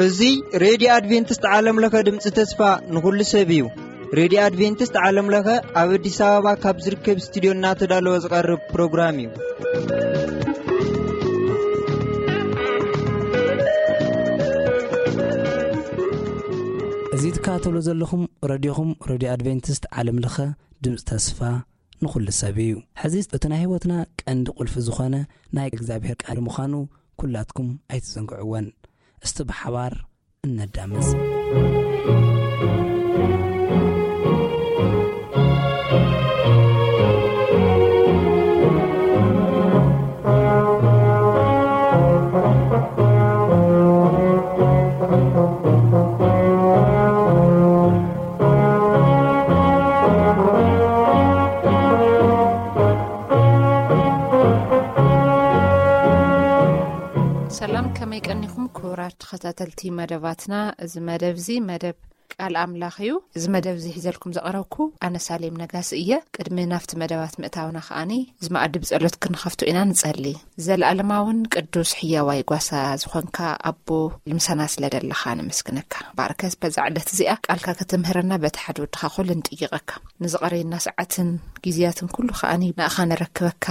እዚ ሬድዮ ኣድቬንቲስት ዓለም ለኸ ድምፂ ተስፋ ንኹሉ ሰብ እዩ። ሬድዮ ኣድቬንቲስት ዓለም ለኸ ኣብ ኣዲስ ኣበባ ካብ ዝርከብ ስቱድዮ እናተዳለወ ዝቐርብ ፕሮግራም እዩ። እዚ ትከታተሉ ዘለኹም ረድዮኹም፣ ረድዮ ኣድቬንቲስት ዓለም ለኸ ድምፂ ተስፋ ንኹሉ ሰብ እዩ። ሕዚ እቲ ናይ ህይወትና ቀንዲ ቁልፊ ዝኾነ ናይ እግዚኣብሔር ቃል ምዃኑ ኩላትኩም ኣይትዘንግዕወን። እስቲ ብሓባር እነዳምፅ። ሰላም፣ ከመይ ቀኒኹም ክቡራት ተኸታተልቲ መደባትና? እዚ መደብ እዚ መደብ ቃል ኣምላኽ እዩ። እዚ መደብ እዚ ሒዘልኩም ዘቕረብኩ ኣነ ሳሌም ነጋሲ እየ። ቅድሚ ናብቲ መደባት ምእታውና ከኣኒ እዚ መኣዲ ብጸሎት ክንኸፍቶ ኢና ንጸሊ። ዘለኣለማውን ቅዱስ ሕያዋይ ጓሳ ዝኾንካ ኣቦ፣ ምሳና ስለ ደለኻ ነመስግነካ። ባርከስ በዛ ዕለት እዚኣ ቃልካ ክትምህረና በቲ ሓደ ወድኻ ኩሉ ንጥይቐካ። ንዝቐረየና ሰዓትን ግዜያትን ኩሉ ከኣኒ ንኣኻ ነረክበካ።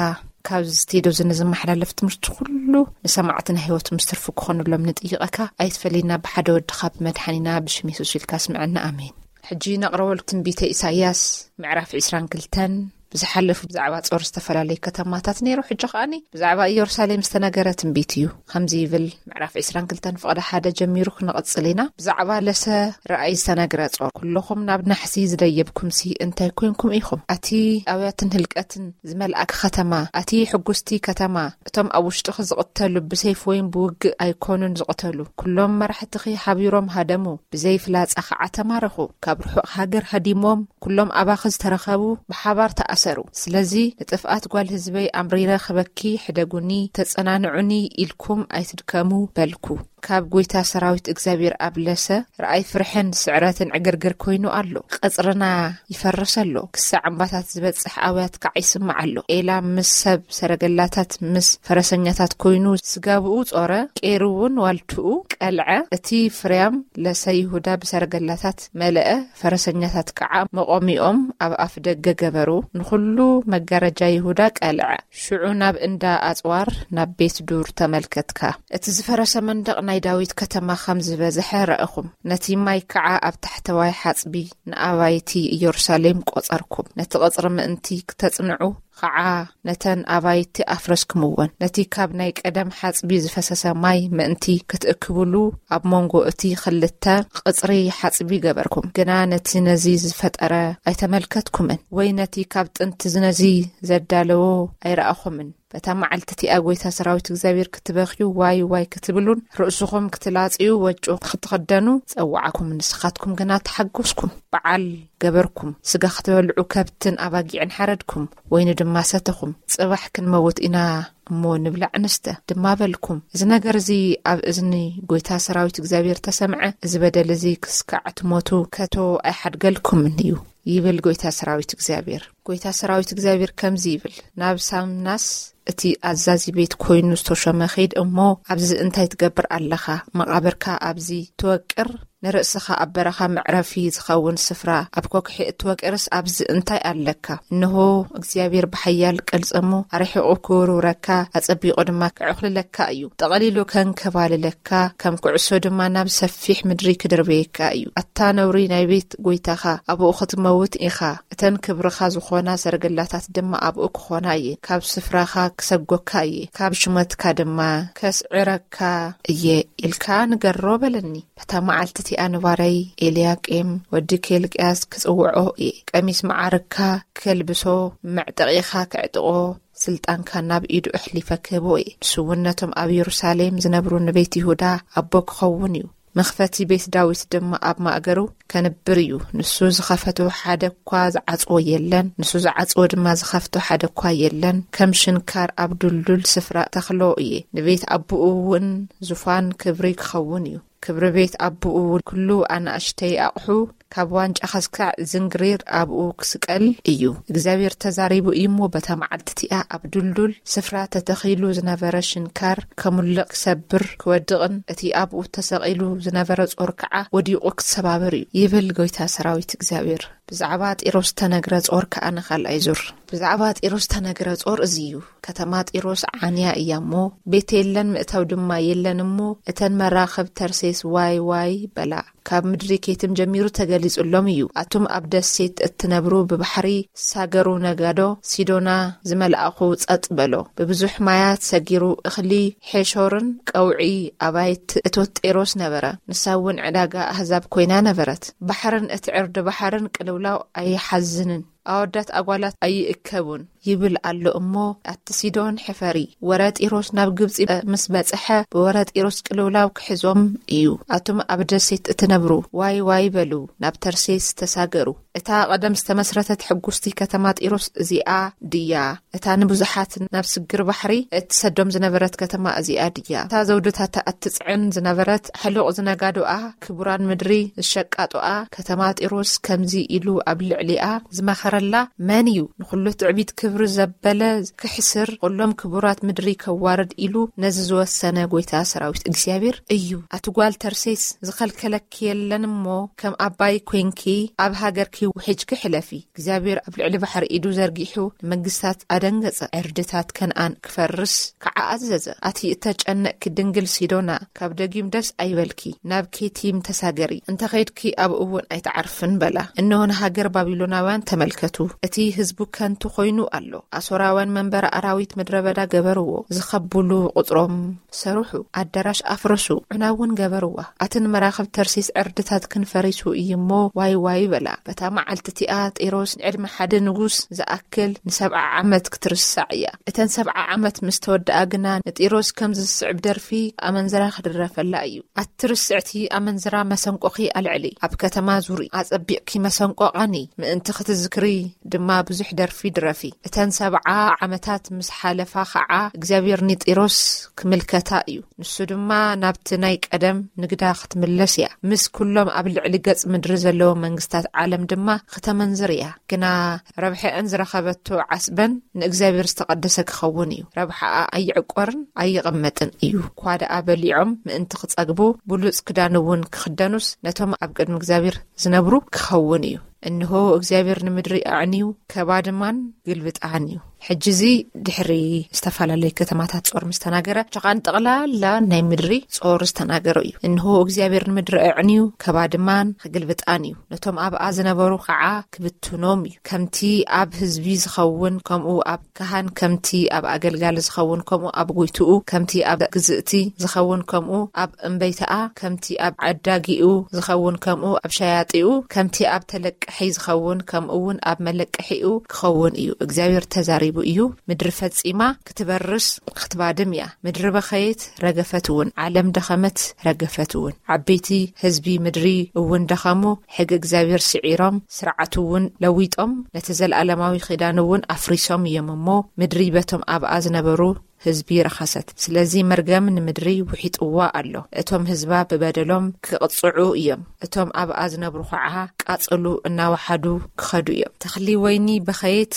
ካብዚ ስቴዶ ዝንዝመሓላለፍ ትምህርቲ ኩሉ ንሰማዕቲ ናይ ህይወት ምስ ትርፊ ክኾኑሎም ንጥይቐካ። ኣይትፈለየና ብሓደ ወድኻ ብመድሓኒና ብሽም የሱስ ኢልካ ስምዐና። ኣሜን። ሕጂ ነቕረበሉ ትንቢተ ኢሳይያስ ምዕራፍ ዕስራን ክልተን ብዝሓለፉ ብዛዕባ ጾር ዝተፈላለዩ ከተማታት ነይሩ። ሕጂ ከኣኒ ብዛዕባ ኢየሩሳሌም ዝተነገረ ትንቢት እዩ። ከምዚ ይብል፣ ምዕራፍ ዕስራን ክልተን ፍቕዲ ሓደ ጀሚሩ ክንቕጽል ኢና። ብዛዕባ ለሰ ረኣይ ዝተነግረ ጾር፣ ኩለኹም ናብ ናሕሲ ዝደየብኩምሲ እንታይ ኮንኩም ኢኹም? ኣቲ ኣብያትን ህልቀትን ዝመልኣኪ ከተማ፣ ኣቲ ሕጉስቲ ከተማ፣ እቶም ኣብ ውሽጥኺ ዝቕተሉ ብሰይፊ ወይም ብውግእ ኣይኮኑን ዝቕተሉ። ኩሎም መራሕትኺ ሓቢሮም ሃደሙ፣ ብዘይ ፍላጻ ኸዓ ተማረኹ። ካብ ርሑቕ ሃገር ሃዲሞም፣ ኩሎም ኣባኺ ዝተረኸቡ ብሓባር ተኣሰሩ። ስለዚ ንጥፍኣት ጓል ህዝበይ ኣምሪረ ክበኪ፣ ሕደጉኒ፣ ተጸናንዑኒ ኢልኩም ኣይትድከሙ በልኩ። ካብ ጐይታ ሰራዊት እግዚኣብሔር ኣብ ለሰ ረኣይ ፍርሕን ስዕረትን ዕግርግር ኮይኑ ኣሎ። ቀጽርና ይፈርስ ኣሎ። ክሳዕ እምባታት ዝበጽሕ ኣውያት ከዓ ይስማዕ ኣሎ። ኤላም ምስ ሰብ ሰረገላታት ምስ ፈረሰኛታት ኮይኑ ስጋብኡ ጾረ፣ ቄሩ እውን ዋልትኡ ቀልዐ። እቲ ፍርያም ለሰ ይሁዳ ብሰረገላታት መለአ፣ ፈረሰኛታት ከዓ መቆሚኦም ኣብ ኣፍ ደገ ገበሩ። ንኹሉ መጋረጃ ይሁዳ ቀልዐ። ሽዑ ናብ እንዳ ኣጽዋር ናብ ቤት ዱር ተመልከትካ። እቲ ዝፈረሰ መንደቕ ናይ ዳዊት ከተማ ከም ዝበዝሐ ረእኹም። ነቲ ማይ ከዓ ኣብ ታሕተዋይ ሓጽቢ ንኣባይቲ ኢየሩሳሌም ቆጸርኩም። ነቲ ቐጽሪ ምእንቲ ክተጽንዑ ኸዓ ነተን ኣባይቲ ኣፍረስኩምወን። ነቲ ካብ ናይ ቀደም ሓጽቢ ዝፈሰሰ ማይ ምእንቲ ክትእክብሉ ኣብ መንጎ እቲ ክልተ ቐጽሪ ሓጽቢ ገበርኩም። ግና ነቲ ነዚ ዝፈጠረ ኣይተመልከትኩምን፣ ወይ ነቲ ካብ ጥንቲ ነዚ ዘዳለዎ ኣይረኣኹምን። በታ መዓልቲ እቲኣ ጐይታ ሰራዊት እግዚኣብሔር ክትበኽዩ፣ ዋይ ዋይ ክትብሉን ርእስኹም ክትላጽዩ፣ ወጮ ክትኽደኑ ጸውዓኩም። ንስኻትኩም ግና ተሓጎስኩም፣ በዓል ገበርኩም። ስጋ ክትበልዑ ከብትን ኣባጊዕን ሓረድኩም፣ ወይኒ ድማ ሰተኹም። ጽባሕ ክንመውት ኢና እሞ ንብላዕ ንስተ ድማ በልኩም። እዚ ነገር እዚ ኣብ እዝኒ ጐይታ ሰራዊት እግዚኣብሔር ተሰምዐ። እዚ በደል እዚ ክስካዕ ትሞቱ ከቶ ኣይሓድገልኩምን እዩ፣ ይብል ጐይታ ሰራዊት እግዚኣብሔር። ጐይታ ሰራዊት እግዚኣብሔር ከምዚ ይብል፣ ናብ ሳምናስ እቲ ኣዛዚ ቤት ኮይኑ ዝተሾመ ኺድ እሞ፣ ኣብዚ እንታይ ትገብር ኣለኻ? መቓብርካ ኣብዚ ትወቅር? ንርእስኻ ኣብ በረኻ መዕረፊ ዝኸውን ስፍራ ኣብ ኮክሒ እትወቅርስ ኣብዚ እንታይ ኣለካ? እንሆ፣ እግዚኣብሔር ብሓያል ቅልጽሙ ኣርሒቑ ክውርውረካ፣ ኣጸቢቑ ድማ ክዕኹልለካ እዩ። ጠቕሊሉ ከንከባልለካ፣ ከም ኩዕሶ ድማ ናብ ሰፊሕ ምድሪ ክድርበየካ እዩ። ኣታ ነውሪ ናይ ቤት ጐይታኻ፣ ኣብኡ ክትመውት ኢኻ። እተን ክብርኻ ዝኾና ሰረገላታት ድማ ኣብኡ ክኾና እየ። ካብ ስፍራኻ ክሰጎካ እየ፣ ካብ ሹመትካ ድማ ከስዕረካ እየ ኢልካ ንገሮ በለኒ። በታ መዓልቲ እቲኣ ንባርያይ ኤልያቄም ወዲ ኬልቅያስ ክጽውዖ እየ። ቀሚስ መዓርግካ ከልብሶ፣ መዕጠቒኻ ከዕጥቖ፣ ስልጣንካ ናብ ኢዱ ኣሕሊፈ ክህቦ እየ። ንሱ እውን ነቶም ኣብ የሩሳሌም ዝነብሩ ንቤት ይሁዳ ኣቦ ክኸውን እዩ። መኽፈቲ ቤት ዳዊት ድማ ኣብ ማእገሩ ከንብር እዩ። ንሱ ዝኸፈቶ ሓደ እኳ ዝዓጽዎ የለን፣ ንሱ ዝዓጽዎ ድማ ዝኸፍቶ ሓደ እኳ የለን። ከም ሽንካር ኣብ ድልዱል ስፍራ ተኽሎ እየ። ንቤት ኣቦኡ እውን ዙፋን ክብሪ ክኸውን እዩ። ክብሪ ቤት ኣቦኡ እውን ኩሉ ኣናእሽተይ ኣቕሑ ካብ ዋንጫ ከስካዕ ዝንግሪር ኣብኡ ክስቀል እዩ። እግዚኣብሔር ተዛሪቡ እዩ እሞ፣ በታ መዓልቲ እቲኣ ኣብ ድልዱል ስፍራ ተተኺሉ ዝነበረ ሽንካር ከሙልቕ፣ ክሰብር፣ ክወድቕን እቲ ኣብኡ ተሰቒሉ ዝነበረ ጾር ከዓ ወዲቑ ክሰባበር እዩ፣ ይብል ጎይታ ሰራዊት እግዚኣብሔር። ብዛዕባ ጢሮስ ተነግረ ጾር ከዓ ንኻልኣይ ዙር። ብዛዕባ ጢሮስ ተነግረ ጾር እዚ እዩ። ከተማ ጢሮስ ዓንያ እያ እሞ፣ ቤት የለን፣ ምእታው ድማ የለን እሞ፣ እተን መራኽብ ተርሴስ ዋይ ዋይ በላ። ካብ ምድሪ ኬትም ጀሚሩ ተገሊጹሎም እዩ። ኣቱም ኣብ ደሴት እትነብሩ፣ ብባሕሪ ሳገሩ፣ ነጋዶ ሲዶና ዝመልኣኹ ጸጥ በሎ። ብብዙሕ ማያት ሰጊሩ እኽሊ ሔሾርን ቀውዒ ኣባይት እቶት ጢሮስ ነበረ። ንሳ እውን ዕዳጋ ኣህዛብ ኮይና ነበረት። ባሕርን እቲ ዕርዲ ባሕርን ቅልውላው ኣይሓዝንን፣ ኣወዳት ኣጓላት ኣይእከቡን ይብል ኣሎ እሞ፣ ኣቲ ሲዶን ሕፈሪ። ወረ ጢሮስ ናብ ግብጺ ምስ በጽሐ፣ ብወረ ጢሮስ ቅልውላው ክሕዞም እዩ። ኣቱም ኣብ ደሴት እትነብሩ፣ ዋይ ዋይ በሉ። ናብ ተርሴስ ተሳገሩ። እታ ቀደም ዝተመስረተት ሕጉስቲ ከተማ ጢሮስ እዚኣ ድያ? እታ ንብዙሓት ናብ ስግር ባሕሪ እትሰዶም ዝነበረት ከተማ እዚኣ ድያ? እታ ዘውድታታ እትጽዕን ዝነበረት ሕሉቕ ዝነጋዶኣ፣ ክቡራን ምድሪ ዝሸቃጦኣ ከተማ ጢሮስ ከምዚ ኢሉ ኣብ ልዕሊኣ ዝመኸረላ መን እዩ? ንኹሉ ትዕቢት ክብሪ ዘበለ ክሕስር፣ ኩሎም ክቡራት ምድሪ ከዋርድ ኢሉ ነዚ ዝወሰነ ጎይታ ሰራዊት እግዚኣብሔር እዩ። ኣቲ ጓል ተርሴስ፣ ዝኸልከለኪ የለን እሞ፣ ከም ኣባይ ኮይንኪ ኣብ ሃገርኪ ውሒጅኪ ሕለፊ። እግዚኣብሔር ኣብ ልዕሊ ባሕሪ ኢዱ ዘርጊሑ ንመንግስታት ኣደንገጸ። ዕርድታት ከነኣን ክፈርስ ከዓ ኣዘዘ። ኣቲ እተጨነቅኪ ድንግል ሲዶና፣ ካብ ደጊም ደስ ኣይበልኪ፣ ናብ ኬቲም ተሳገሪ፣ እንተ ኸይድኪ ኣብኡ እውን ኣይትዓርፍን በላ። እንሆ ንሃገር ባቢሎናውያን ተመልከቱ፣ እቲ ህዝቡ ከንቱ ኮይኑ ኣሎ። ኣሶራውያን መንበሪ ኣራዊት ምድረ በዳ ገበርዎ፣ ዝኸብሉ ቁጽሮም ሰርሑ፣ ኣዳራሽ ኣፍረሱ፣ ዑና እውን ገበርዋ። ኣትን መራኽብ ተርሲስ ዕርድታት ክንፈሪሱ እዩ እሞ ዋይ ዋይ በላ። በታ መዓልቲ እቲኣ ጢሮስ ንዕድመ ሓደ ንጉስ ዝኣክል ንሰብዓ ዓመት ክትርሳዕ እያ። እተን ሰብዓ ዓመት ምስ ተወድኣ ግና ንጢሮስ ከም ዝስዕብ ደርፊ ኣመንዝራ ክድረፈላ እዩ። ኣቲ ርስዕቲ ኣመንዝራ መሰንቆኺ ኣልዕሊ፣ ኣብ ከተማ ዙሪ፣ ኣጸቢቕኪ መሰንቆ ቓኒ፣ ምእንቲ ክትዝክሪ ድማ ብዙሕ ደርፊ ድረፊ። እተን ሰብዓ ዓመታት ምስ ሓለፋ ኸዓ እግዚኣብሔር ንጢሮስ ክምልከታ እዩ። ንሱ ድማ ናብቲ ናይ ቀደም ንግዳ ክትምለስ እያ። ምስ ኩሎም ኣብ ልዕሊ ገጽ ምድሪ ዘለዉ መንግስታት ዓለም ድማ ክተመንዝር እያ። ግና ረብሐአን ዝረኸበቶ ዓስበን ንእግዚኣብሔር ዝተቐደሰ ክኸውን እዩ። ረብሓኣ ኣይዕቆርን ኣይቕመጥን እዩ። እኳ ደኣ በሊዖም ምእንቲ ክጸግቡ፣ ብሉጽ ክዳን እውን ክኽደኑስ፣ ነቶም ኣብ ቅድሚ እግዚኣብሔር ዝነብሩ ክኸውን እዩ። እንሆ እግዚኣብሔር ንምድሪ ኣዕንዩ ከባድማን ግልብጣን እዩ። ሕጂ እዚ ድሕሪ ዝተፈላለዩ ከተማታት ጾር ምስ ተናገረ፣ ሸኻን ጠቕላላ ናይ ምድሪ ጾር ዝተናገረ እዩ። እንሆ እግዚኣብሔር ንምድሪ ኣዕንዩ ከባድማን ክግልብጣን እዩ። ነቶም ኣብኣ ዝነበሩ ኸዓ ክብትኖም እዩ። ከምቲ ኣብ ህዝቢ ዝኸውን ከምኡ ኣብ ካህን፣ ከምቲ ኣብ ኣገልጋሊ ዝኸውን ከምኡ ኣብ ጎይትኡ፣ ከምቲ ኣብ ግዝእቲ ዝኸውን ከምኡ ኣብ እምበይተኣ፣ ከምቲ ኣብ ዓዳጊኡ ዝኸውን ከምኡ ኣብ ሸያጢኡ፣ ከምቲ ኣብ ተለቃሒ ዝኸውን ከምኡ እውን ኣብ መለቀሒኡ ክኸውን እዩ። እግዚኣብሔር ተዛሪቡ እዩ። ምድሪ ፈጺማ ክትበርስ ክትባድም እያ። ምድሪ በኸየት ረገፈት እውን፣ ዓለም ደኸመት ረገፈት እውን። ዓበይቲ ህዝቢ ምድሪ እውን ደኸሙ፣ ሕጊ እግዚኣብሔር ስዒሮም፣ ስርዓቱ እውን ለዊጦም፣ ነቲ ዘለኣለማዊ ኺዳን እውን ኣፍሪሶም እዮም እሞ፣ ምድሪ በቶም ኣብኣ ዝነበሩ ህዝቢ ረኸሰት። ስለዚ መርገም ንምድሪ ውሒጥዋ ኣሎ። እቶም ህዝባ ብበደሎም ክቕጽዑ እዮም። እቶም ኣብኣ ዝነብሩ ኸዓ ቃጽሉ እናወሓዱ ክኸዱ እዮም። ተኽሊ ወይኒ በኸየት፣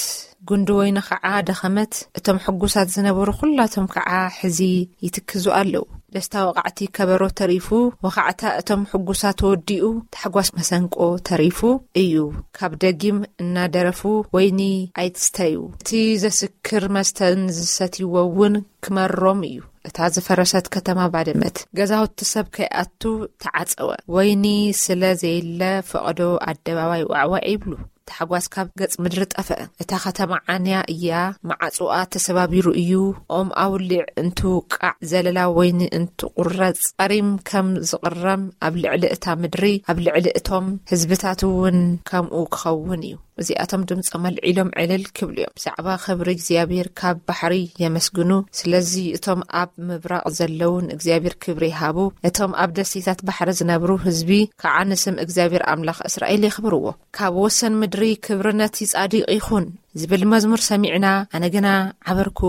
ጉንዲ ወይኒ ኸዓ ደኸመት። እቶም ሕጉሳት ዝነበሩ ኹላቶም ኸዓ ሕዚ ይትክዙ ኣለዉ። ደስታ ወቓዕቲ ከበሮ ተሪፉ፣ ወኻዕታ እቶም ሕጉሳት ተወዲኡ፣ ታሕጓስ መሰንቆ ተሪፉ እዩ። ካብ ደጊም እናደረፉ፣ ወይኒ ኣይትስተዩ፣ እቲ ዘስክር መስተን ዝሰትይዎ እውን ክመሮም እዩ። እታ ዝፈረሰት ከተማ ባደመት፣ ገዛውቲ ሰብ ከይኣቱ ተዓጸወ። ወይኒ ስለ ዘየለ፣ ፈቐዶ ኣደባባይ ዋዕዋዕ ይብሉ። ታሕጓስ ካብ ገጽ ምድሪ ጠፍአ። እታ ከተማ ዓንያ እያ፣ መዓጽኣ ተሰባቢሩ እዩ። ኦም ኣውሊዕ እንትውቃዕ፣ ዘለላ ወይኒ እንትቑረጽ፣ ጸሪም ከም ዝቕረም ኣብ ልዕሊ እታ ምድሪ፣ ኣብ ልዕሊ እቶም ህዝብታት እውን ከምኡ ክኸውን እዩ። እዚኣቶም ድምጾም ኣልዒሎም ዕልል ክብሉ እዮም። ብዛዕባ ክብሪ እግዚኣብሔር ካብ ባሕሪ የመስግኑ። ስለዚ እቶም ኣብ ምብራቕ ዘለዉ ንእግዚኣብሔር ክብሪ ይሃቡ። እቶም ኣብ ደሴታት ባሕሪ ዝነብሩ ህዝቢ ከዓ ንስም እግዚኣብሔር ኣምላኽ እስራኤል የኽብርዎ። ካብ ወሰን ምድሪ ክብሪ ነቲ ጻድቕ ይኹን ዝብል መዝሙር ሰሚዕና፣ ኣነ ግና ዓበርኩ፣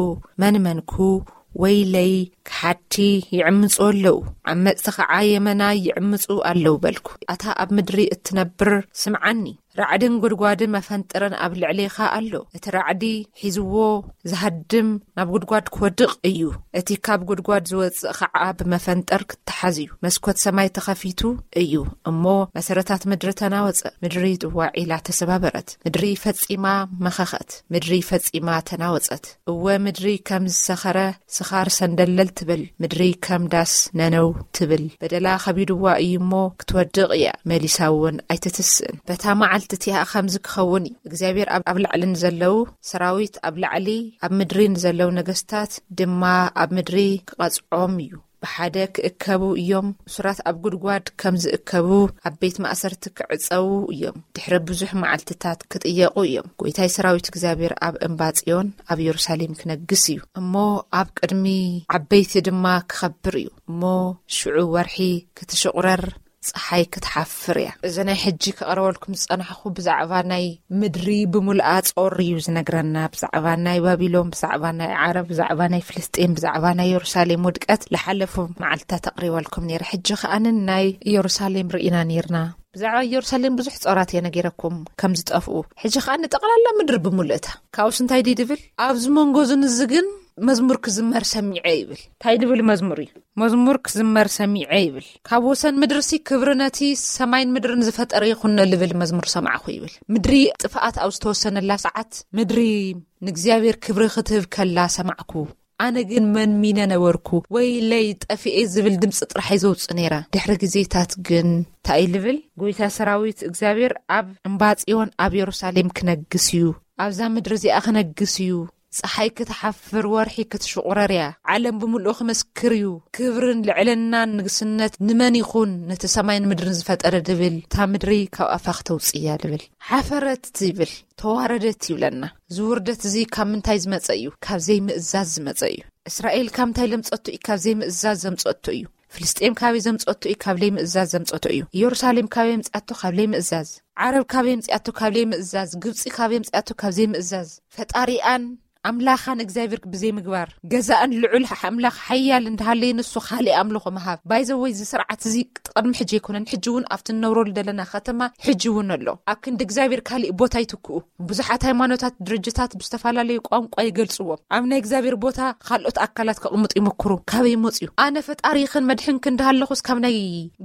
መን መንኩ፣ ወይለይ፣ ክሓድቲ ይዕምጹ ኣለዉ፣ ዓመጽቲ ኸዓ የመናይ ይዕምጹ ኣለዉ በልኩ። ኣታ ኣብ ምድሪ እትነብር፣ ስምዓኒ። ራዕድን ጉድጓድን መፈንጥርን ኣብ ልዕሌኻ ኣሎ። እቲ ራዕዲ ሒዝዎ ዝሃድም ናብ ጉድጓድ ክወድቕ እዩ። እቲ ካብ ጉድጓድ ዝወጽእ ኸዓ ብመፈንጠር ክተሓዝ እዩ። መስኮት ሰማይ ተኸፊቱ እዩ እሞ፣ መሰረታት ምድሪ ተናወጸ። ምድሪ ጥዋዕ ኢላ ተሰባበረት። ምድሪ ፈጺማ መኸኸት። ምድሪ ፈጺማ ተናወጸት። እወ፣ ምድሪ ከም ዝሰኸረ ስኻር ሰንደለል ትብል። ምድሪ ከም ዳስ ነነው ትብል። በደላ ከቢድዋ እዩ እሞ፣ ክትወድቕ እያ፣ መሊሳ እውን ኣይትትስእን። በታ መዓልቲ እቲኣ ከምዚ ክኸውን እዩ። እግዚኣብሔር ኣብ፣ ኣብ ላዕሊ ንዘለዉ ሰራዊት ኣብ ላዕሊ፣ ኣብ ምድሪ ንዘለዉ ነገስታት ድማ ኣብ ምድሪ ክቐጽዖም እዩ። ብሓደ ክእከቡ እዮም። እሱራት ኣብ ጉድጓድ ከም ዝእከቡ፣ ኣብ ቤት ማእሰርቲ ክዕጸዉ እዮም። ድሕሪ ብዙሕ መዓልትታት ክጥየቑ እዮም። ጎይታይ ሰራዊት እግዚኣብሔር ኣብ እምባ ጽዮን ኣብ የሩሳሌም ክነግስ እዩ። እሞ ኣብ ቅድሚ ዓበይቲ ድማ ክኸብር እዩ። እሞ ሽዑ ወርሒ ክትሽቑረር፣ ጸሓይ ክትሓፍር እያ። እዚ ናይ ሕጂ ከቕርበልኩም ዝጸናሕኹ ብዛዕባ ናይ ምድሪ ብምልኣ ጾር እዩ ዝነግረና። ብዛዕባ ናይ ባቢሎን፣ ብዛዕባ ናይ ዓረብ፣ ብዛዕባ ናይ ፍልስጤን፣ ብዛዕባ ናይ የሩሳሌም ውድቀት ዝሓለፉ መዓልትታት ኣቕሪበልኩም ነይረ። ሕጂ ከኣ ናይ ኢየሩሳሌም ርኢና ነይርና። ብዛዕባ ኢየሩሳሌም ብዙሕ ጾራት እየ ነጊረኩም ከም ዝጠፍኡ። ሕጂ ከኣ ንጠቕላላ ምድሪ ብምልእታ። ካብኡስ እንታይ ድዩ ድብል? ኣብዚ መንጎ እዝን እዚ ግን መዝሙር ክዝመር ሰሚዐ ይብል። እንታይ ድብል መዝሙር እዩ? መዝሙር ክዝመር ሰሚዐ ይብል። ካብ ወሰን ምድርሲ ክብሪ ነቲ ሰማይን ምድርን ዝፈጠረ ይኹን ልብል መዝሙር ሰማዕኹ ይብል። ምድሪ ጥፍኣት ኣብ ዝተወሰነላ ሰዓት፣ ምድሪ ንእግዚኣብሔር ክብሪ ክትህብ ከላ ሰማዕኩ። ኣነ ግን መንሚነ ነበርኩ፣ ወይለይ ጠፊኤ ዝብል ድምፂ ጥራሕ እየ ዘውፅእ ነይረ። ድሕሪ ግዜታት ግን እንታይ ልብል? ጎይታ ሰራዊት እግዚኣብሔር ኣብ እምባ ጽዮን ኣብ የሩሳሌም ክነግስ እዩ። ኣብዛ ምድሪ እዚኣ ክነግስ እዩ። ፀሓይ ክትሓፍር፣ ወርሒ ክትሽቑረር እያ። ዓለም ብምልኡ ክመስክር እዩ። ክብርን ልዕልናን ንግስነት ንመን ይኹን? ነቲ ሰማይን ምድርን ዝፈጠረ ድብል፣ እታ ምድሪ ካብ ኣፋ ክተውፅእ እያ ድብል። ሓፈረት ይብል፣ ተዋረደት ይብለና። እዚ ውርደት እዚ ካብ ምንታይ ዝመፀ እዩ? ካብ ዘይምእዛዝ ዝመፀ እዩ። እስራኤል ካብ ምንታይ ዘምፀቱ እዩ? ካብ ዘይምእዛዝ ዘምፀቱ እዩ። ፍልስጤም ካበይ ዘምፀቱ እዩ? ካብ ዘይምእዛዝ ዘምፀቱ እዩ። ኢየሩሳሌም ካበይ ምፅኣቶ? ካብ ዘይምእዛዝ። ዓረብ ካበይ ምፅኣቶ? ካብ ዘይምእዛዝ። ግብፂ ካበይ ምፅኣቶ? ካብ ዘይምእዛዝ። ፈጣሪኣን ኣምላኻን እግዚኣብሔር ብዘይምግባር፣ ገዛእን ልዑል ኣምላኽ ሓያል እንዳሃለየ ንሱ ካልእ ኣምልኾ ምሃብ። ባይዘወይ፣ እዚ ስርዓት እዚ ቅድሚ ሕጂ ኣይኮነን፣ ሕጂ እውን ኣብቲ እንነብረሉ ዘለና ከተማ ሕጂ እውን ኣሎ። ኣብ ክንዲ እግዚኣብሔር ካሊእ ቦታ ይትክኡ። ብዙሓት ሃይማኖታት፣ ድርጅታት ብዝተፈላለዩ ቋንቋ ይገልጽዎም። ኣብ ናይ እግዚኣብሔር ቦታ ካልኦት ኣካላት ከቕምጡ ይመክሩ። ካበይ ይመጽኡ? ኣነ ፈጣሪኽን መድሕንክን እንዳሃለኹስ ካብ ናይ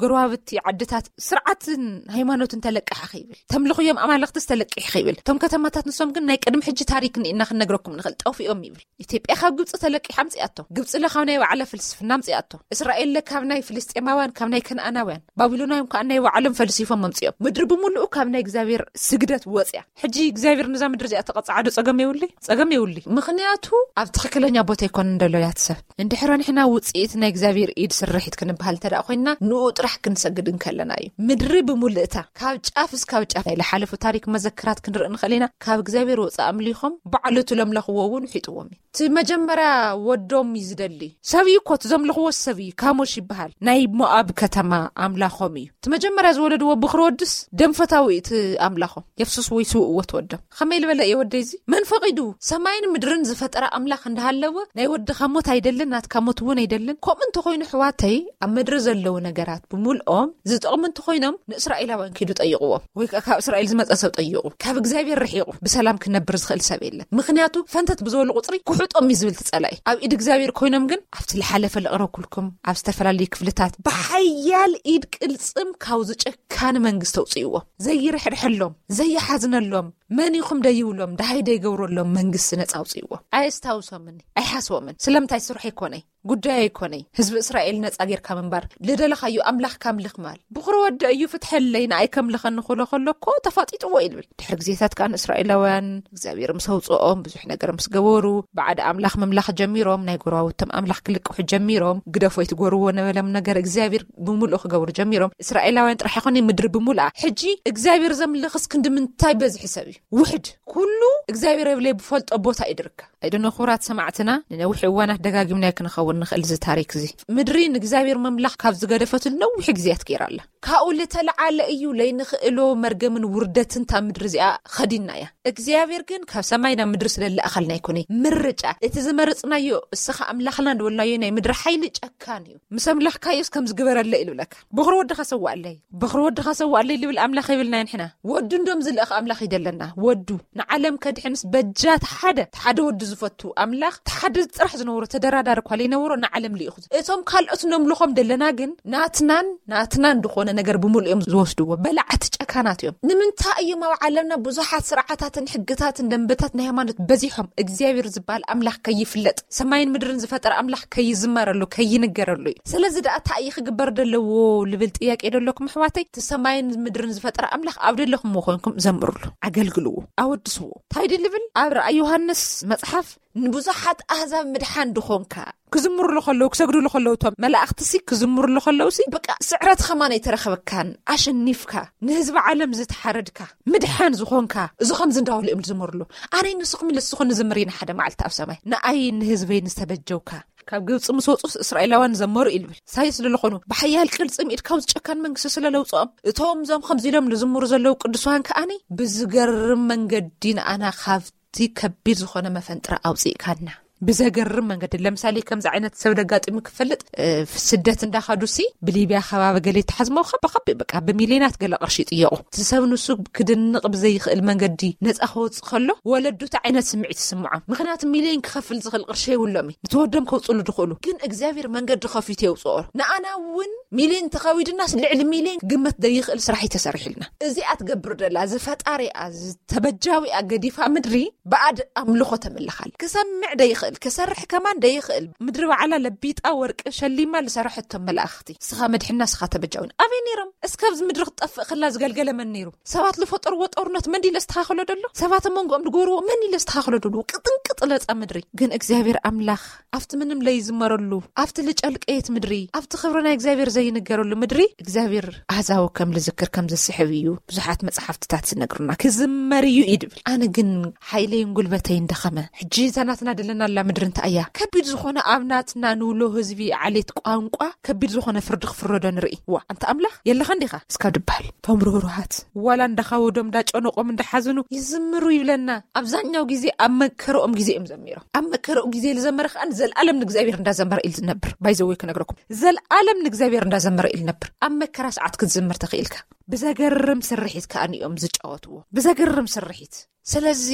ጎረባብቲ ዓድታት ስርዓትን ሃይማኖትን ተለቂሓ ከይብል፣ ተምልኽዮም ኣማልኽትስ ተለቂሕ ከይብል፣ እቶም ከተማታት ንሶም ግን ናይ ቅድሚ ሕጂ ታሪክ ንኢና ክንነግረኩም ንኽእል፣ ጠፊኦም ይብል። ኢትዮጵያ ካብ ግብፂ ተለቂሓ ኣምፅኣቶ። ግብፂ ለ ካብ ናይ ባዕላ ፍልስፍና ኣምፅኣቶ። እስራኤል ለ ካብ ናይ ፍልስጤማውያን፣ ካብ ናይ ከነኣናውያን፣ ባቢሎናውያን ከዓ ናይ ባዕሎም ፈልሲፎም ኣምፅኦም። ምድሪ ብምሉኡ ካብ ናይ እግዚኣብሔር ስግደት ወፅያ። ሕጂ እግዚኣብሔር ነዛ ምድሪ እዚኣ ተቐፅዓ ዶ? ፀገም የብሉይ፣ ፀገም የብሉይ። ምኽንያቱ ኣብ ትኽክለኛ ቦታ ኣይኮነን ደሎ ያት ሰብ። እንድሕር ንሕና ውፅኢት ናይ እግዚኣብሔር ኢድ ስርሒት ክንበሃል እንተ ደኣ ኮይንና፣ ንኡ ጥራሕ ክንሰግድ እንከለና እዩ። ምድሪ ብምልእታ ካብ ጫፍ እስካብ ጫፍ ናይ ዝሓለፉ ታሪክ መዘክራት ክንርኢ ንኽእል ኢና። ካብ እግዚኣብሔር ወፃእ ኣምሊኾም ባዕሉ እቲ ለምለኽዎ እውን ውሒጥዎም እዩ። እቲ መጀመርያ ወዶም እዩ ዝደሊ። ሰብ እዩ እኮ፣ እቲ ዘምልኽዎ ሰብ እዩ። ካሞሽ ይበሃል። ናይ ሞኣብ ከተማ ኣምላኾም እዩ። እቲ መጀመርያ ዝወለድዎ ብኽሪ ወድስ ደም ፈታዊ እዩ እቲ ኣምላኾም። የፍስስ ወይ ስውእዎ ትወዶም። ኸመይ ዝበለ እየ ወደይ እዚ? መን ፈቒዱ? ሰማይን ምድርን ዝፈጠረ ኣምላኽ እንዳሃለወ ናይ ወድኻ ሞት ኣይደልን፣ ናትካ ሞት እውን ኣይደልን። ከምኡ እንተኾይኑ፣ ኣሕዋተይ፣ ኣብ ምድሪ ዘለዉ ነገራት ብምልኦም ዝጠቕሙ እንተኾይኖም፣ ንእስራኤላውያን ኪዱ ጠይቕዎም። ወይ ከኣ ካብ እስራኤል ዝመጸ ሰብ ጠይቑ። ካብ እግዚኣብሔር ርሒቑ ብሰላም ክነብር ዝኽእል ሰብ የለን። ምኽንያቱ፣ ፈንተት ብዝበሉ ቁጽሪ ክሑጦም እዩ ዝብል እቲ ጸላኢ። ኣብ ኢድ እግዚኣብሔር ኮይኖም ግን፣ ኣብቲ ዝሓለፈ ዘቕረብኩልኩም፣ ኣብ ዝተፈላለዩ ክፍልታት ብሓያል ኢድ ቅልጽም ካብ ዝጨካኒ መንግስቲ ኣውጽእዎም። ዘይርሕርሐሎም፣ ዘይሓዝነሎም፣ መን ኢኹም ደይብሎም፣ ደሃይ ደይገብረሎም መንግስቲ ነጻ ኣውጽእዎም። ኣየስታውሶምኒ፣ ኣይሓስቦምን። ስለምንታይ? ስርሑ ኣይኮነይ፣ ጉዳይ ኣይኮነይ። ህዝቢ እስራኤል ነጻ ጌርካ ምንባር፣ ልደለኻዮ ኣምላኽካ ኣምልኽ ምባል። ብኹሪ ወዲ እዩ፣ ፍትሐለይ፣ ንኣይ ከምልኸኒ ክብሎ ከሎ እኮ ተፋጢጥዎ እዩ ዝብል። ድሕሪ ግዜታት ከኣ ንእስራኤላውያን እግዚኣብሔር ምስ ኣውጽኦም፣ ብዙሕ ነገር ምስ ገበሩ፣ ባዕዲ ኣምላኽ ምምላኽ ጀሚሮም፣ ናይ ጎረባብቶም ኣምላኽ ክልቅሑ ጀሚሮም። ግደፎ ኣይትጎርዎ ነበሎም ነገር እግዚኣብሔር ብምሉኡ ክገብሩ ጀሚሮም። እስራኤላውያን ጥራሕ ኣይኮነ፣ ምድሪ ብምሉኣ። ሕጂ እግዚኣብሔር ዘምልኽስ ክንዲ ምንታይ በዝሒ ሰብ እዩ? ውሕድ። ኩሉ እግዚኣብሔር የብለይ ብፈልጦ ቦታ እዩ ድርከብ። ኣይደኖ፣ ክቡራት ሰማዕትና፣ ንነዊሕ እዋናት ደጋጊምናዮ ክንኸውን ንኽእል እዚ ታሪክ እዚ። ምድሪ ንእግዚኣብሔር መምላኽ ካብ ዝገደፈትሉ ነዊሕ ግዜያት ገይራ ኣላ። ካብኡ ልተለዓለ እዩ ለይንኽእሎ መርገምን ውርደትን እታ ምድሪ እዚኣ ኸዲና እያ። እግዚኣብሔር ግን ካብ ሰማይ ናብ ምድሪ ስለ ልኣኸልና ኣይኮነ ምርጫ። እቲ ዝመረጽናዮ እስኻ ኣምላኽና እንደበልናዮ ናይ ምድሪ ሓይሊ ጨካን እዩ። ምስ ኣምላኽካዮስ ከም ዝግበረለ ኢሉ ብለካ። በኽሪ ወድኻ ሰዋኣለይ፣ በኽሪ ወድኻ ሰዋኣለይ ልብል ኣምላኽ ይብልና ንሕና። ወዱ እንዶም ዝልእኽ ኣምላኽ ይደለና። ወዱ ንዓለም ከድሕንስ በጃ እቲ ሓደ፣ እቲ ሓደ ወዱ ዝፈቱ ኣምላኽ፣ እቲ ሓደ ጥራሕ ዝነበሮ ተደራዳሪ እኳ ለይነበሮ ንዓለም ልኢኹ። እቶም ካልኦት ነምልኾም ደለና ግን ናትናን ናትናን ዝኾነ ነገር ብምሉእ እዮም ዝወስድዎ። በላዕቲ ጨካናት እዮም። ንምንታይ እዮም ኣብ ዓለምና ብዙሓት ስርዓታትን ሕግታትን ደንበታት ናይ ሃይማኖት በዚሖም? እግዚኣብሔር ዝበሃል ኣምላኽ ከይፍለጥ፣ ሰማይን ምድርን ዝፈጠረ ኣምላኽ ከይዝመረሉ፣ ከይንገረሉ እዩ። ስለዚ ደኣ እንታይ እዩ ክግበር ደለዎ ልብል ጥያቄ ደለኩም ኣሕዋተይ? እቲ ሰማይን ምድርን ዝፈጠረ ኣምላኽ ኣብ ደለኹምዎ ኮይንኩም ዘምርሉ፣ ኣገልግልዎ፣ ኣወድስዎ። እንታይ ድዩ ልብል ኣብ ራእይ ዮሃንስ መጽሓፍ ንብዙሓት ኣህዛብ ምድሓን ድኾንካ ክዝምሩሉ ከለዉ፣ ክሰግዱሉ ከለዉ፣ እቶም መላእኽትሲ ክዝምሩሉ ከለዉሲ፣ በቃ ስዕረት ኸማን ኣይተረኸበካን፣ ኣሸኒፍካ፣ ንህዝቢ ዓለም ዝተሓረድካ፣ ምድሓን ዝኾንካ፣ እዚ ኸምዚ እንዳበሉ እዮም ዝዝምሩሉ። ኣነይ ንስኹም ኢለ ንስኹም ንዝምር ኢና ሓደ መዓልቲ ኣብ ሰማይ። ንኣይ ንህዝበይ ንዝተበጀውካ፣ ካብ ግብጺ ምስ ወጹስ እስራኤላውያን ዘመሩ እዩ ልብል። ሳይስ ስለለኾኑ፣ ብሓያል ቅልጽም ኢድ ካብ ዝጨካን መንግስቲ ስለ ለውጽኦም፣ እቶም እዞም ኸምዚ ኢሎም ዝዝምሩ ዘለዉ ቅዱሳን ከኣኒ ብዝገርም መንገዲ ንኣና ካብ እቲ ከቢድ ዝኾነ መፈንጥራ ኣውፅእካና። ብዘገርም መንገዲ፣ ለምሳሌ ከምዚ ዓይነት ሰብ ደጋጢሙ ክፈልጥ፣ እ፣ ስደት እንዳኸዱ ሲ ብሊብያ ከባቢ ገለ ይተሓዝሞ ከቢ ከቢ በቃ ብሚልዮናት ገለ ቅርሺ ይጥየቑ። እቲ ሰብ ንሱ ክድንቕ ብዘይኽእል መንገዲ ነፃ ክወፅእ ከሎ ወለዱ እቲ ዓይነት ስምዒት ይስምዖም። ምኽንያቱ ሚልዮን ክኸፍል ዝኽእል ቅርሺ የብሎም እዩ። ንትወዶም ከውፅሉ ድኽእሉ። ግን እግዚኣብሔር መንገዲ ከፊቱ የውፅኦ። ንኣና እውን ሚልዮን ተኸዊድናስ ልዕሊ ሚልዮን ግመት ዘይኽእል ስራሕ እዩ ተሰሪሕልና። እዚኣ ትገብር ደላ ዝፈጣሪኣ ዝተበጃዊኣ ገዲፋ ምድሪ ብኣድ ኣምልኾ ተምልኻል። ክሰምዕ ደይኽእል፣ ክሰርሕ ከማን ደይኽእል፣ ምድሪ ባዕላ ለቢጣ ወርቂ ሸሊማ ዝሰረሐቶም መላእኽቲ፣ ስኻ መድሕና፣ ስኻ ተበጃዊን ኣበይ ነይሮም? እስከ ኣብዚ ምድሪ ክትጠፍእ ከላ ዝገልገለ መን ነይሩ? ሰባት ዝፈጠርዎ ጦርነት መን ድዩ ለስተኻኸሎ ደሎ? ሰባት ኣብ መንጎኦም ዝጎርዎ መን እዩ ለስተኻኸሎ ደሎ? ቅጥንቅጥ ለጻ ምድሪ። ግን እግዚኣብሔር ኣምላኽ ኣብቲ ምንም ለይዝመረሉ፣ ኣብቲ ልጨልቀየት ምድሪ፣ ኣብቲ ክብሪ ናይ እግዚኣብሔር ዘይንገረሉ ምድሪ እግዚኣብሔር ኣህዛቡ ከም ልዝክር ከም ዝስሕብ እዩ ብዙሓት መጽሓፍትታት ዝነግሩና። ክዝመር እዩ ይድብል። ኣነ ግን ሓይለይን ጉልበተይን ደኸመ። ሕጂ እዛ ናትና ደለናላ ምድሪ እንታይ እያ? ከቢድ ዝኾነ ኣብ ናትና ንብሎ ህዝቢ ዓሌት ቋንቋ ከቢድ ዝኾነ ፍርዲ ክፍረዶ ንርኢ። ዋ፣ ኣንታ ኣምላኽ የለኻ እንዲኻ? እስካ ድበሃል። እቶም ርህሩሃት ዋላ እንዳኻወዶም እንዳጨነቆም እንዳሓዝኑ ይዝምሩ ይብለና። ኣብዛኛው ግዜ ኣብ መከረኦም ግዜ እዮም ዘሚሮም። ኣብ መከረኡ ግዜ ዝዘመረ ከኣ ዘልኣለም ንእግዚኣብሔር እንዳዘመረ ኢሉ ዝነብር። ባይዘወይ ክነግረኩም፣ ዘልኣለም ንእግዚኣብሔር እንዳዘመረ ኢሉ ነብር። ኣብ መከራ ሰዓት ክትዝምር ተኽኢልካ። ብዘገርም ስርሒት ከኣ እዮም ዝጫወትዎ። ብዘገርም ስርሒት። ስለዚ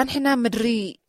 ኣንሕና ምድሪ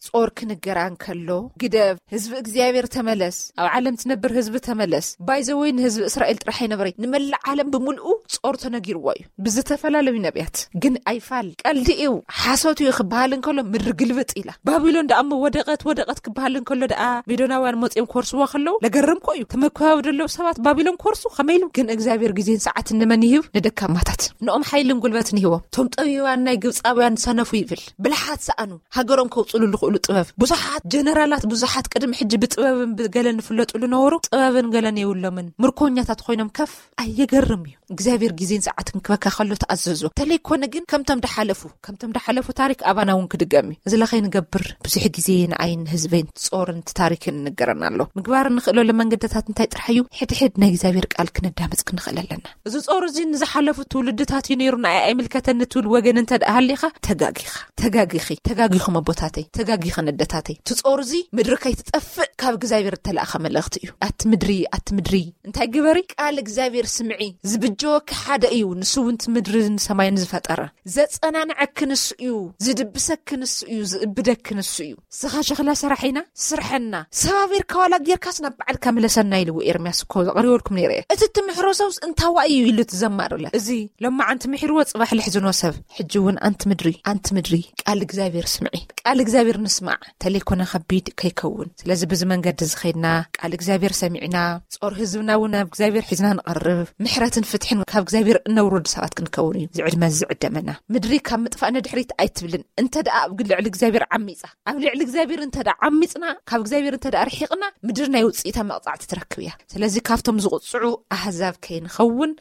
ጾር ክንገራ እንከሎ፣ ግደፍ፣ ህዝቢ እግዚኣብሔር ተመለስ፣ ኣብ ዓለም ትነብር ህዝቢ ተመለስ። ባይዘወይ ንህዝቢ እስራኤል ጥራሕ ኣይነበረይ፣ ንመላእ ዓለም ብምልኡ ጾር ተነጊርዎ እዩ ብዝተፈላለዩ ነቢያት። ግን ኣይፋል፣ ቀልዲ እዩ፣ ሓሶት እዩ ክበሃል እንከሎ ምድሪ ግልብጥ ኢላ። ባቢሎን ደኣ እሞ ወደቐት፣ ወደቐት ክበሃል እንከሎ ደኣ ሜዶናውያን መጺኦም ክወርስዋ ከለዉ ለገርም ኮ እዩ። ተመኮያዊ ደለዉ ሰባት ባቢሎን ክወርሱ ከመይ ኢሉ? ግን እግዚኣብሔር ግዜን ሰዓትን ንመን ይህብ? ንደካማታት። ንኦም ሓይልን ጉልበትን ይህቦም። እቶም ጠቢባን ናይ ግብፃውያን ሰነፉ ይብል። ብልሓት ሰኣኑ። ሃገሮም ከውፅሉ ዝኽእሉ ጥበብ። ብዙሓት ጀነራላት፣ ብዙሓት ቅድሚ ሕጂ ብጥበብን ብገለን ዝፍለጡ ዝነበሩ ጥበብን ገለን የብሎምን። ምርኮኛታት ኮይኖም ከፍ ኣየገርም እዩ። እግዚኣብሔር ግዜን ሰዓትን ክበካ ከሎ ተኣዘዞ። ተለይኮነ ግን ከምቶም ድሓለፉ፣ ከምቶም ድሓለፉ ታሪክ ኣባና እውን ክድገም እዩ። እዚ ለኸይ ንገብር ብዙሕ ግዜ ንኣይን ህዝበይን ጾርን ታሪክን ንገረና ኣሎ። ምግባር እንኽእለሉ መንገድታት እንታይ ጥራሕ እዩ? ሕድሕድ ናይ እግዚኣብሔር ቃል ክነዳምፅ ክንኽእል ኣለና። እዚ ጾር እዚ ንዝሓለፉ ትውልድታት እዩ ነይሩ፣ ንኣይ ኣይምልከተኒ ትብል ወገን እንተ ደኣ ሃሊኻ፣ ተጋጊኻ። ተጋጊኺ። ተጋጊኹም ኣቦታተይ። ተጋጊኸን ኣደታተይ። እቲ ጾር እዚ ምድሪ ከይትጠፍእ ካብ እግዚኣብሔር እተላእኸ መልእኽቲ እዩ። ኣቲ ምድሪ፣ ኣቲ ምድሪ፣ እንታይ ግበሪ? ቃል እግዚኣብሔር ስምዒ። ዝብጀወኪ ሓደ እዩ፣ ንሱ እውን እቲ ምድርን ሰማይን ዝፈጠረ። ዘጸናንዐኪ ንሱ እዩ፣ ዝድብሰኪ ንሱ እዩ፣ ዝእብደኪ ንሱ እዩ። ስኻ ሸኽላ ሰራሒና፣ ስርሐና። ሰባቢርካ ዋላ ጌርካስ ናብ በዓልካ ምለሰና ኢልዎ ኤርምያስ እኮ ዘቕሪበልኩም ነይረ እየ። እቲ ትምሕሮ ሰብስ እንታዋ እዩ ኢሉ ትዘማርለ። እዚ ሎማዓንቲ ምሒርዎ ጽባሕ ልሕዝኖ ሰብ። ሕጂ እውን ኣንቲ ምድሪ፣ ኣንቲ ምድሪ፣ ቃል እግዚኣብሔር ስምዒ። ቃል እግዚኣብሔር ንስማዕ። ተለይኮነ ከቢድ ከይከውን። ስለዚ ብዚ መንገዲ እዚ ኸይድና ቃል እግዚኣብሔር ሰሚዕና፣ ጾር ህዝብና እውን ናብ እግዚኣብሔር ሒዝና ንቐርብ፣ ምሕረትን ፍትሕን ካብ እግዚኣብሔር እነውርድ ሰባት ክንከውን እዩ እዚ ዕድመ እዚ ዝዕደመና። ምድሪ ካብ ምጥፋእ ንድሕሪት ኣይትብልን። እንተ ደኣ ኣብ ልዕሊ እግዚኣብሔር ዓሚጻ፣ ኣብ ልዕሊ እግዚኣብሔር እንተ ደኣ ዓሚጽና፣ ካብ እግዚኣብሔር እንተ ደኣ ርሒቕና፣ ምድሪ ናይ ውጽኢታ መቕጻዕቲ ትረክብ እያ። ስለዚ ካብቶም ዝቕጽዑ ኣህዛብ ከይንኸውን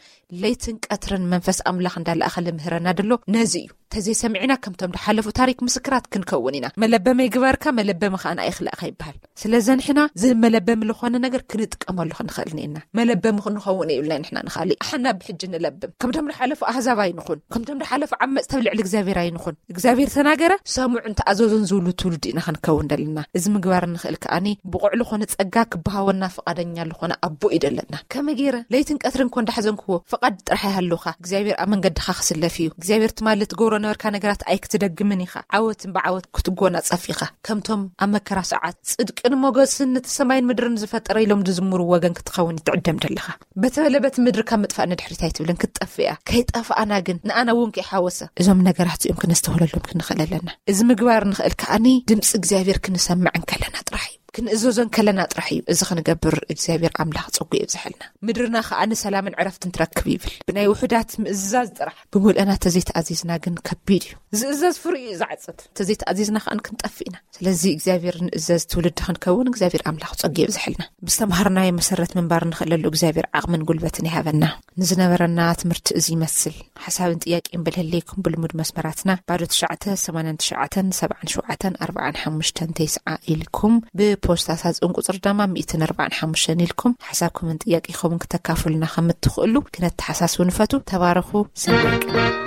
ለይትን ቀትርን መንፈስ ኣምላኽ እንዳለኣኸ ልምህረና ደሎ ነዚ እዩ። ተዘይሰሚዕና ከምቶም ድሓለፉ ታሪክ ምስክራት ክንከውን ኢና። መለበመ ይግበርካ፣ መለበመ ከኣ ንኣይ ክልእኻ ይበሃል። ስለዚ ንሕና ዝመለበሚ ዝኾነ ነገር ክንጥቀመሉ ክንኽእል ኢና። መለበሚ ክንኸውን የብልና ንሕና ንኻሊእ። ኣሓና ብሕጂ ንለብም። ከምቶም ዝሓለፉ ኣህዛብ ኣይንኹን። ከምቶም ዝሓለፉ ዓመፅቲ ኣብ ልዕሊ እግዚኣብሔር ኣይንኹን። እግዚኣብሔር ተናገረ፣ ሰሙዑን ተኣዘዙን ዝብሉ ትውልዲ ኢና ክንከውን ደለና። እዚ ምግባር ንኽእል ከኣኒ ብቑዕ ዝኾነ ጸጋ ክበሃወና ፍቓደኛ ዝኾነ ኣቦ እዩ ደለና። ከመይ ገይረ ለይትን ቀትርን ኮ እንዳሕዘንክዎ ፍቓድ ጥራሕ ይሃልውኻ። እግዚኣብሔር ኣብ መንገድኻ ክስለፍ እዩ። እግዚኣብሔር ትማሊ ትገብሮ ነበርካ ነገራት ኣይክትደግምን ኢኻ። ዓወትን ብዓወት ክትጎናጸፍ ኢኻ። ከምቶም ኣብ መከራ ሰዓት ጽድቅን ሞገስን ነቲ ሰማይን ምድርን ዝፈጠረ ኢሎም ዝዝምሩ ወገን ክትኸውን ይትዕደም ደለኻ። በተበለ በቲ ምድሪ ካብ ምጥፋእ ንድሕሪት ኣይትብልን፣ ክትጠፍእ እያ። ከይጠፋእና ግን ንኣና እውን ከይሓወሰ እዞም ነገራት እዚኦም ክነስተውለሎም ክንኽእል ኣለና። እዚ ምግባር ንኽእል ከኣኒ ድምፂ እግዚኣብሔር ክንሰምዕ እንከለና ጥራሕ እዩ። ክንእዘዞ እንከለና ጥራሕ እዩ። እዚ ክንገብር እግዚኣብሔር ኣምላኽ ጸጉ የብዝሐልና። ምድርና ከኣኒ ሰላምን ዕረፍትን ትረክብ ይብል። ብናይ ውሑዳት ምእዝዛዝ ጥራሕ ብምልእና ተዘይተኣዚዝና ግን ከቢድ እዩ። ዝእዘዝ ፍርኡ እዩ ዝዓጽድ። ተዘይተኣዚዝና ከኣን ክንጠፍእ ኢና። ስለዚ እግዚኣብሔር ንእዘዝ ትውልዲ ክንከውን እግዚኣብሔር ኣምላኽ ጸጉ የብዝሐልና። ብዝተምሃርናዮ መሰረት ምንባር ንኽእለሉ እግዚኣብሔር ዓቕምን ጉልበትን ይሃበና። ንዝነበረና ትምህርቲ እዚ ይመስል። ሓሳብን ጥያቄን ብልህለይኩም ብልሙድ መስመራትና ባዶ ትሽዓተ ሰማንያን ትሽዓተን ሰብዓን ሸውዓተን ኣርብዓን ሓሙሽተን ተስዓ ኢልኩም ብፖስታ ሳጽን ቁጽሪ ደማ ሚእትን ኣርብዓን ሓሙሽተን ኢልኩም ሓሳብኩምን ጥያቄኹምን ክተካፍሉና ከም እትኽእሉ ክነተሓሳስቡ ንፈቱ። ተባረኹ። ሰናይ ቀን።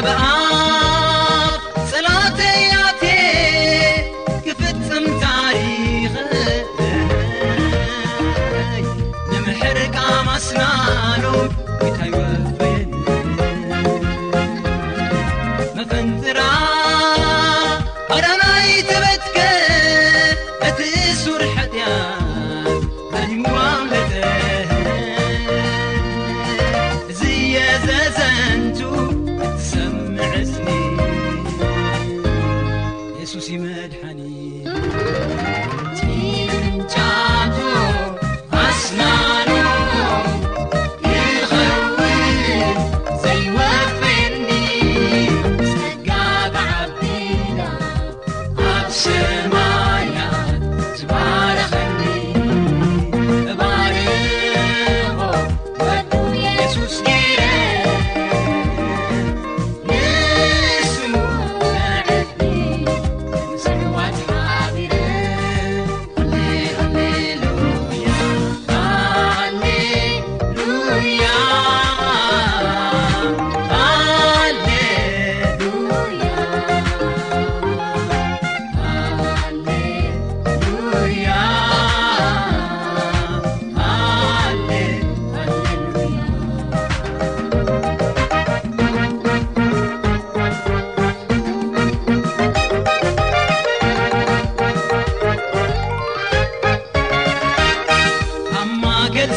ብኣፍ ጸሎተይ ኣትየ ክፍጽም ታሪኸይ፣ ንምሕር ቃም ኣስናኑ ጌታ ይወፍየኒ። መፈንጥራ ኣዳናይ ተበትከ፣ እቲ እሱር ሓጢኣት ሃዲሙ ኣምለጠ። እዚ የዘዘንቱ እትሰምዕ ስኒ፣ የሱስ ይመድሓኒ። ጭንጫቱ ኣስናኑ ይኸውን ዘይወፍየኒ፣ ጸጋ ብዓቢና ኣብ ሰማያት ዝባረኸኒ። እባርኾ ወዱ የሱስ ገይረ፣ ንሱ መዕድኒ፣ ንሰማያት ሓቢረ። ሃሌ-፣ ሃሌሉያ፣ ሃሌሉያ፣ ሃሌሉያ፣ ሃሌሉያ፣ ሃሌ-፣ ሃሌሉያ። ኣብ ማእከል